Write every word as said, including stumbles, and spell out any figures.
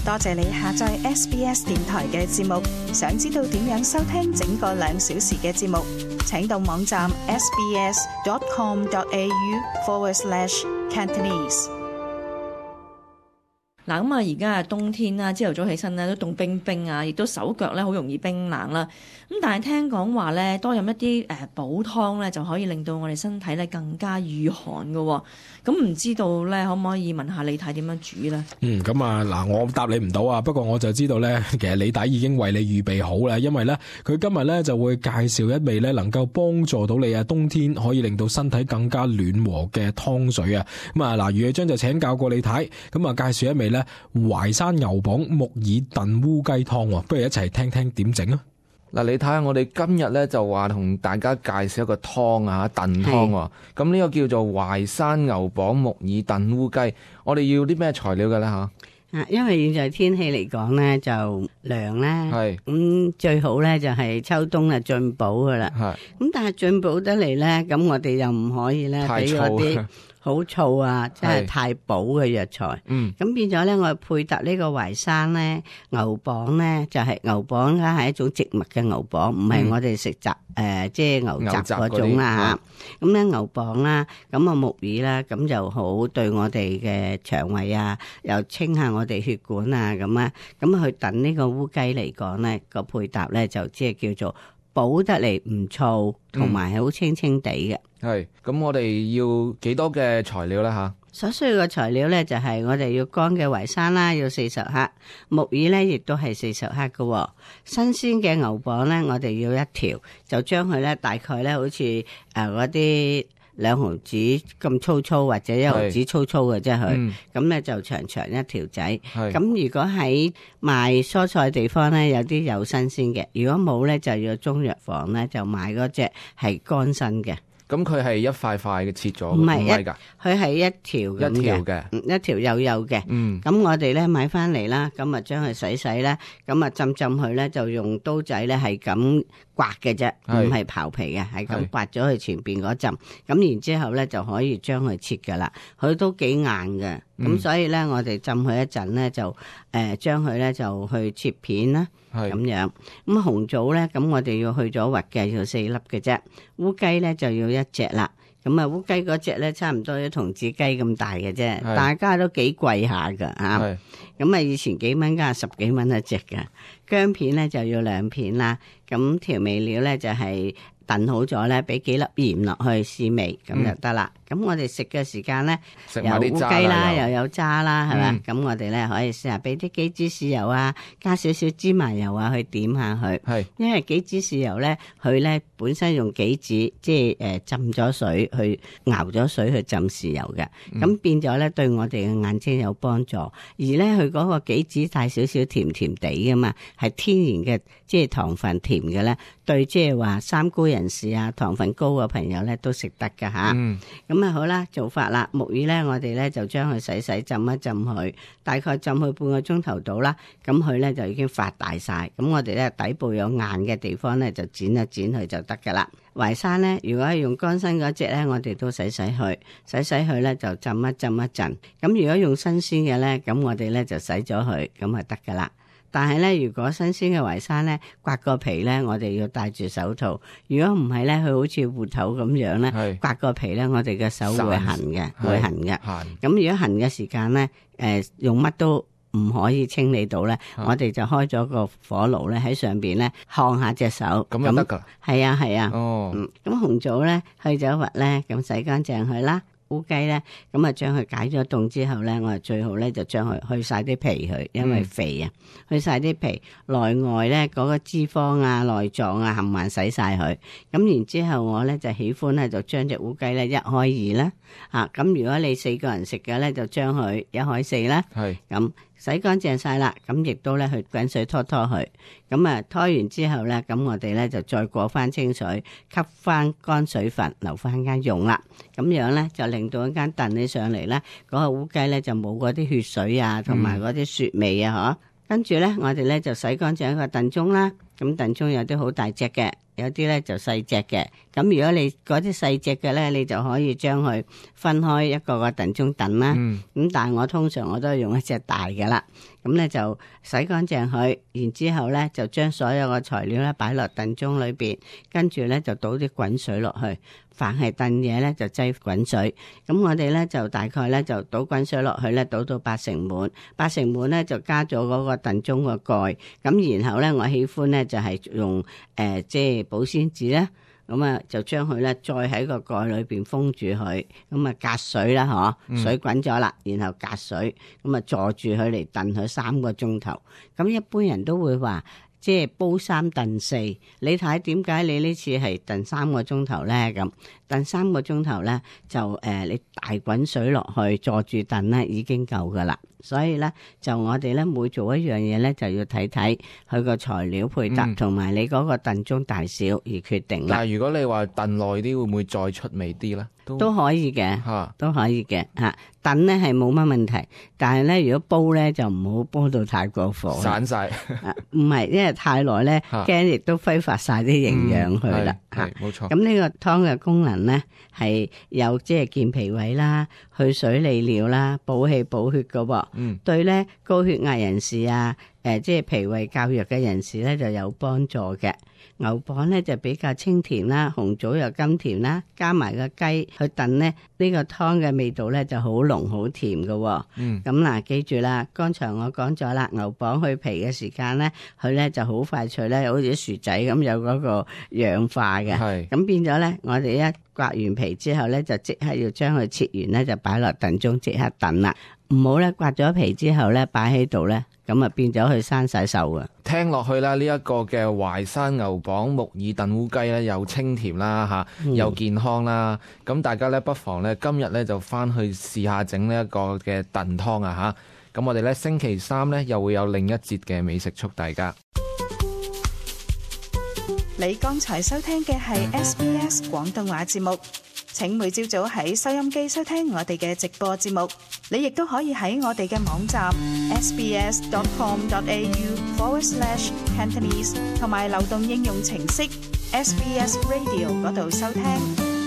多謝你下載 S B S 電台嘅節目。想知道點樣收聽整個兩小時嘅節目，請到網站 sbs.com.au forward slash Cantonese。嗱，咁啊，而家啊冬天啦，朝頭早起身咧都凍冰冰啊，亦都手腳咧好容易冰冷啦。咁但係聽講話咧，多飲一啲誒補湯咧，就可以令到我哋身體咧更加御寒嘅。咁唔知道咧，可唔可以問下李太點樣煮咧？嗯，咁啊嗱，我答你唔到啊，不過我就知道咧，其實李太已經為你預備好啦，因為咧佢今日咧就會介紹一味咧能夠幫助到你啊冬天可以令到身體更加暖和嘅湯水啊。咁啊嗱，余偉章就請教過李太，咁啊介紹一味咧淮山牛蒡木耳燉烏雞湯，不如一齊聽聽點整啊！嗱，你睇下我哋今日咧就話同大家介紹一個湯啊，燉湯喎。咁呢個叫做淮山牛蒡木耳燉烏雞。我哋要啲咩材料嘅咧吓？啊，因為現在天氣嚟講咧就涼啦，係咁、嗯、最好咧就係秋冬啊進補噶啦。係咁，但係進補得嚟咧，咁我哋又唔可以咧俾嗰啲好燥啊，即係太補嘅藥材。嗯，咁變咗咧，我配搭呢個淮山咧，牛蒡咧就係、是、牛蒡咧係一種植物嘅牛蒡，唔係我哋食雜誒即係牛雜嗰種啦嚇。咁咧牛蒡啦，咁啊木耳啦，咁就好對我哋嘅腸胃啊，又清下我哋血管啊咁啊，咁去燉呢個烏雞嚟講咧，個配搭咧就即係叫做補得嚟唔燥，同埋係好清清地嘅。係，咁我哋要幾多嘅材料咧吓？所需要嘅材料咧就係我哋要乾嘅淮山啦，要四十克，木耳咧亦都係四十克嘅。新鮮嘅牛蒡咧，我哋要一條，就將佢咧大概咧好似誒嗰啲兩毫子咁粗粗或者一毫子粗粗嘅啫，佢咁咧就長長一條仔。咁如果喺賣蔬菜地方咧，有啲有新鮮嘅，如果冇咧就要中藥房咧就買嗰隻係乾身嘅。咁佢係一塊塊嘅切咗，唔係一，㗎，佢係一條咁嘅，一條嘅，一條幼幼嘅。嗯，咁我哋咧買翻嚟啦，咁啊將佢洗洗咧，咁啊浸浸佢咧，就用刀仔咧係咁刮嘅啫，唔係刨皮嘅，係咁刮咗佢前邊嗰浸。咁然之後咧就可以將佢切噶啦，佢都幾硬嘅。咁、嗯、所以咧我哋浸佢一陣咧就誒將佢咧就去切片啦。咁樣，咁紅棗咧，咁我哋要去咗核嘅，要四粒嘅啫。烏雞咧就要一隻啦。咁啊，烏雞嗰隻咧差唔多一童子雞咁大嘅啫，大家都幾貴下噶吓。咁啊，以前幾蚊，家十幾蚊一隻嘅。薑片咧就要兩片啦。咁調味料咧就係、是。燉好咗咧，俾幾粒鹽落去試味，咁就得啦。咁、嗯、我哋食嘅時間咧，有烏雞啦，又有渣啦，係咪？咁、嗯、我哋咧可以試下俾啲杞子豉油啊，加少少芝麻油啊，去點下佢。係，因為杞子豉油咧，佢咧本身用杞子，即係誒浸咗水去熬咗水去浸豉油嘅，咁、嗯、變咗咧對我哋嘅眼睛有幫助。而咧佢嗰個杞子帶少少甜甜地噶嘛，係天然嘅，即係糖分甜嘅咧，對即係話三高人士啊，糖分高嘅朋友咧都食得噶吓。咁、嗯、啊好啦，做法啦，木耳咧我哋咧就將佢洗洗浸一浸佢，大概浸佢半個鐘頭到啦。咁佢咧就已經發大晒，咁我哋咧底部有硬嘅地方咧就剪一剪佢就得噶啦。淮山咧，如果係用乾身嗰隻咧，我哋都洗洗佢，洗洗佢咧就浸一浸一陣。咁如果用新鮮嘅咧，咁我哋咧就洗咗佢，咁就得噶啦。但係咧，如果新鮮嘅淮山咧，刮個皮咧，我哋要戴住手套。如果唔係咧，佢好似芋頭咁樣咧，刮個皮咧，我哋嘅手會痕嘅，會痕嘅。咁如果痕嘅時間咧，誒、呃、用乜都唔可以清理到咧，我哋就開咗個火爐咧喺上邊咧燙下隻手，咁就得噶。係啊係啊。哦。咁、嗯、紅棗咧去咗核咧，咁洗乾淨佢啦。烏雞咧，咁啊將佢解咗凍之後咧，我哋最好咧就將佢去晒啲皮佢，因為肥啊，嗯、去晒啲皮，內外咧嗰個脂肪啊、內臟啊，冚唪唥洗晒佢。咁然之後我咧就喜歡咧就將隻烏雞咧一開二啦，啊咁如果你四個人食嘅咧，就將佢一開四啦。係咁。洗乾淨晒啦，咁亦都咧去滾水拖拖佢，咁啊拖完之後咧，咁我哋咧就再過翻清水，吸翻乾水分，留翻間用啦。咁樣咧就令到一間燉起上嚟咧，嗰個烏雞咧就冇嗰啲血水啊，同埋嗰啲雪味啊，嗬、嗯。跟住咧，我哋咧就洗乾淨一個燉盅啦。咁燉盅有啲好大隻嘅，有啲咧就細隻嘅。咁如果你嗰啲細隻嘅咧，你就可以將佢分開一個個燉盅燉啦。咁、嗯、但係我通常我都係用一隻大嘅啦。咁咧就洗乾淨佢，然之後咧就將所有嘅材料咧擺落燉盅裏邊，跟住咧就倒啲滾水落去。凡係燉嘢咧就擠滾水，咁我哋咧就大概咧就倒滾水落去咧，倒到八成滿，八成滿咧就加咗嗰個燉盅個蓋，咁然後咧我喜歡咧就係用誒即係保鮮紙咧，咁啊就將佢咧再喺個蓋裏邊封住佢，咁啊隔水啦嗬，嗯、水滾咗啦，然後隔水，咁啊坐住佢嚟燉佢三個鐘頭，咁一般人都會話。即係煲三燉四，你睇點解你呢次係燉三個鐘頭咧？咁燉三個鐘頭咧，就誒、呃、你大滾水落去，坐住燉咧已經夠噶啦。所以咧，就我哋咧每做一樣嘢咧，就要睇睇佢個材料配搭同埋、嗯、你嗰個燉盅大小而決定啦。但係如果你話燉耐啲，會唔會再出味啲咧？都，都可以嘅，嚇都可以嘅嚇。燉咧係冇乜問題，但係咧如果煲咧就唔好煲到太過火，散晒。唔係，因為太耐咧，驚亦都揮發晒啲營養去啦。係冇錯。咁呢個湯嘅功能咧係有即係健脾胃啦、去水利尿啦、補氣補血嘅喎。嗯，對咧高血壓人士啊，誒即係脾胃較弱嘅人士咧就有幫助嘅。牛蒡咧就比較清甜啦，紅棗又甘甜啦，加埋個雞去燉咧，呢個湯嘅味道咧就好濃好甜嘅。嗯，咁嗱，記住啦，剛才我講咗啦，牛蒡去皮嘅時間咧，佢咧就好快脆咧，好似薯仔咁有嗰個氧化嘅。係，咁變咗咧，我哋一刮完皮之後咧，就即刻要將佢切完咧，就擺落燉盅即刻燉啦。唔好咧刮咗皮之後咧擺喺度咧，咁啊變咗佢生晒銹啊！聽落去啦，呢一個嘅淮山牛蒡木耳燉烏雞咧，又清甜啦嚇，又健康啦。咁、嗯、大家咧不妨咧今日咧就翻去試下整呢一個嘅燉湯啊嚇。咁我哋咧星期三咧又會有另一節嘅美食速遞㗎。你剛才收聽嘅係 S B S 廣東話節目。請每朝早喺收音機收聽我哋嘅直播節目，你亦都可以喺我哋嘅網站 sbs dot com dot a u forward slash cantonese 同埋流動應用程式 S B S Radio 嗰度收聽。